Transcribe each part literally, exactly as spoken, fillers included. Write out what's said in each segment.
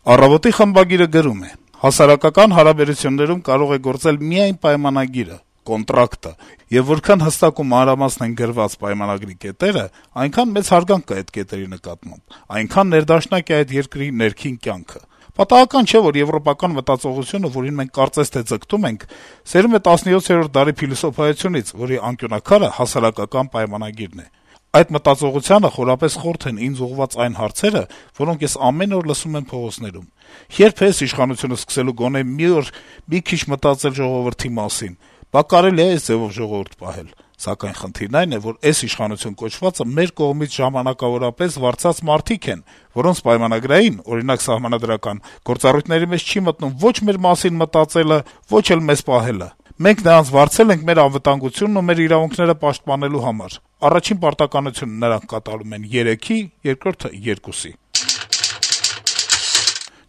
Առավոտի խմբագիրը գրում է. - «Հասարակական հարաբերություններում կարող է գործել միայն պայմանագիրը, կոնտրակտը, եւ որքան հստակ ու մանրամասն են գրված պայմանագրի կետերը, այնքան մեծ հարգանք կա այդ կետերի նկատմամբ, այնքան ներդաշնակ է այդ երկրի ներքին կյանքը։ Պատահական չէ, որ եվրոպական մտածողությունը, որին մենք կարծես թե ձգտում ենք, սերում է տասնյոթերորդ դարի փիլիսոփայությունից, որի անկյունաքարը հասարակական պայմանագիրն է։ Այդ մտածողությանը խորապես խորթ են ինձ ուղղված այն հարցերը, որոնք ես ամեն օր լսում եմ փողոցներում. երբ է այս իշխանությունը սկսելու գոնե մի օր մի քիչ մտածել ժողովրդի մասին, բա կարելի է այս ձևով ժողովուրդ պահել։ Սակայն խնդիրն այն է, որ այս իշխանություն կոչվածը մեր կողմից ժամանակավորապես վարձած մարդիկ են, որոնց պայմանագրային, օրինակ սահմանադրական, գործառույթների մեջ չի մտնում ոչ մեր մասին մտածելը, ոչ էլ մեզ պահելը։ Մենք նրանց վարձել ենք մեր անվտանգությունն ու մեր իրավունքները պաշտպանելու համար։ Առաջին պարտականությունը նրանք կատարում են երեքի, երկրորդը երկուսի»։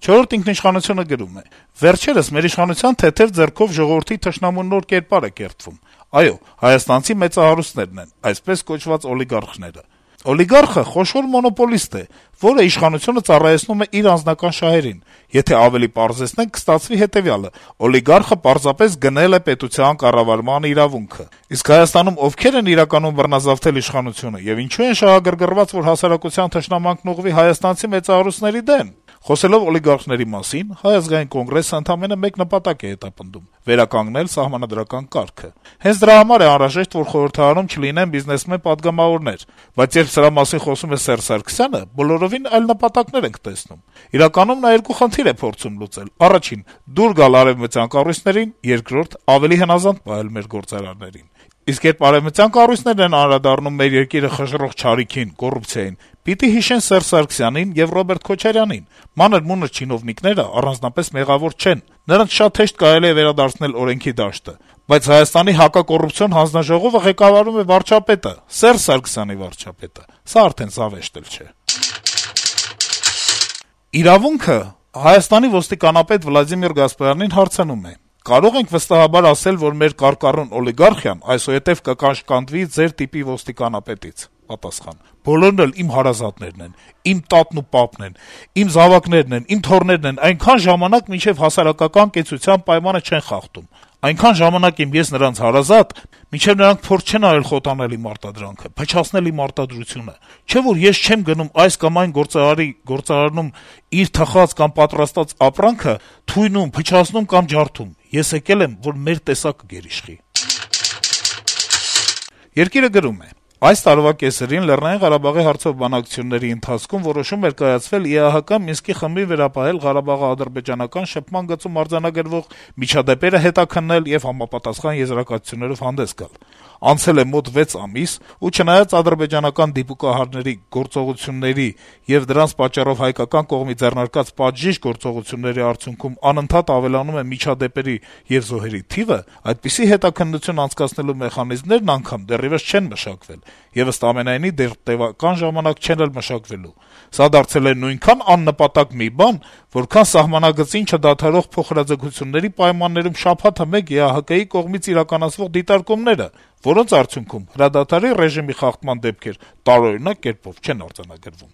«Չորրորդ ինքնիշխանություն»-ը գրում է. - «Վերջերս մեր իշխանության թեթեւ ձեռքով ժողովրդի թշնամու նոր կերպար է կերտվում։ Այո, հայաստանցի մեծահարուստներն են, այսպես կոչված օլիգարխները։ Օլիգարխը խոշոր մոնոպոլիստ է, որը իշխանությունը ծառայեցնում է իր անձնական շահերին։ Եթե ավելի պարզեցնենք, կստացվի հետեւյալը. օլիգարխը պարզապես գնել է պետության կառավարման իրավունքը։ Իսկ Հայաստանում ովքեր են իրականում բռնազավթել իշխանությունը եւ ինչու են շահագրգռված, որ հասարակության թշնամանքն ուղղվի հայաստանցի մեծահարուստների դեմ։ Խոսելով օլիգարխների մասին, Հայ ազգային կոնգրեսը ընդամենը մեկ նպատակ է հետապնդում՝ վերականգնել սահմանադրական կարգը։ Հենց դրա համար է անհրաժեշտ, որ խորհրդարանում չլինեն բիզնեսմեն պատգամավորներ, բայց երբ սրա մասին խոսում է Սերժ Սարգսյանը, բոլորովին այլ նպատակներ ենք տեսնում։ Իրականում նա երկու խնդիր է փորձում լուծել. առաջին՝ դուր գալ արևմտյան կառույցներին, երկրորդ՝ ավելի հնազանդ պահել մեր գործարարներին։ Իսկ երբ արևմտյան կառույցներն են անդրադառնում մեր երկիրը խժռող չարիքին, կոռուպցիային, պիտի հիշեն Սերժ Սարգսյանին եւ Ռոբերտ Քոչարյանին։ Մանր-մունր չինովնիկները առանձնապես մեղավոր չեն, նրանց շատ հեշտ կարելի է վերադարձնել օրենքի դաշտը, բայց Հայաստանի հակակոռուպցիոն հանձնաժողովը ղեկավարում է վարչապետը, Սերժ Սարգսյանի վարչապետը։ Սա արդեն զավեշտ էլ չէ»։ «Իրավունք»-ը Հայաստանի ոստիկանապետ Վլադիմիր Գասպարյանին հարցնում է. - «Կարո՞ղ ենք վստահաբար ասել, որ մեր կարկառուն օլիգարխիան այսուհետեւ կկաշկանդվի ձեր տիպի ոստիկանապետից»։ Պատասխան. - «Բոլորն էլ իմ հարազատներն են, իմ տատն ու պապն են, իմ զավակներն են, իմ թոռներն են, այնքան ժամանակ, մինչեւ հասարակական կեցության պայմանը չեն խախտում։ Այնքան ժամանակ եմ ես նրանց հարազատ, մինչեւ նրանք փորձ չեն արել խոտանել իմ արտադրանքը, փչացնել իմ արտադրությունը։ Չէ՞ որ ես չեմ գնում այս կամ այն գործարարի գործարանում իր թխած կամ պատրաստած ապրանքը, թույնում, փչացնում կամ ջարդում։ Ես եկել եմ, որ մեր տեսակը գերիշխի»։ «Երկիր»-ը գրում է. - «Այս տարվա կեսերին Լեռնային Ղարաբաղի հարցով բանակցությունների ընթացքում որոշում էր կայացվել ԻԱՀԿ Մինսկի խմբին վերապահել Ղարաբաղի ադրբեջանական շփման գծում արձանագրվող միջադեպերը հետաքննել եւ համապատասխան եզրակացություններով հանդես գալ։ Անցել է մոտ վեց ամիս, ու չնայած ադրբեջանական դիպուկահարների գործողությունների եւ դրանց պատճառով հայկական կողմի ձեռնարկած պատժիժ գործողությունների արդյունքում անընդհատ ավելանում է միջադեպերի եւ զոհերի թիվը, այդպիսի հետաքննություն անցկացնելու մեխանիզմներն անգամ դեռեւս չեն մշակվել եւ ըստ ամենայնի դեռ տեւական ժամանակ չեն էլ մշակվելու։ Սա դարձել է նույնքան աննպատակ մի բան, որքան սահմանագծին չդադարող փոխհրաձգությունների պայմաններում շաբաթը մեկ ԵԱՀԿ-ի կողմից իրականացվող դիտարկումները, որոնց արդյունքում հրադադարի ռեժիմի խախտման դեպքեր տարօրինակ կերպով չեն արձանագրվում»։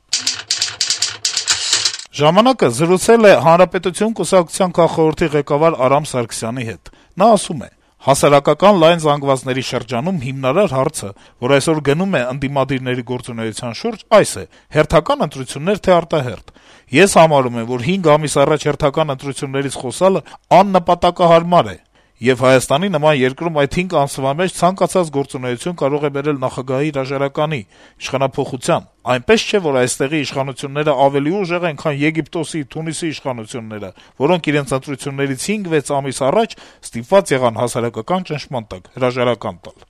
«Ժամանակ»-ը զրուցել է Հանրապետություն կուսակցության քաղխորհրդի ղեկավար Արամ Սարգսյանի հետ։ Նա ասում է. - «Հասարակական լայն զանգվածների շրջանում հիմնարար հարցը, որ այսօր գնում է ընդդիմադիրների գործունեության շուրջ, այս է՝ հերթական ընտրություններ թե արտահերթ։ Ես համարում եմ, որ հինգ ամիս առաջ հերթական ընտրություններից խոսալը աննպատակահարմար է, եւ Հայաստանի նման երկրում այդ հինգ ամսվա մեջ ցանկացած գործունեություն կարող է բերել նախագահի հրաժարականի, իշխանափոխության։ Այնպես չէ, որ այստեղի իշխանությունները ավելի ուժեղ են, քան Եգիպտոսի, Թունիսի իշխանությունները, որոնք իրենց ընտրություններից հինգ-վեց ամիս առաջ ստիպված եղան հասարակական ճնշման տակ հրաժարական տալ»։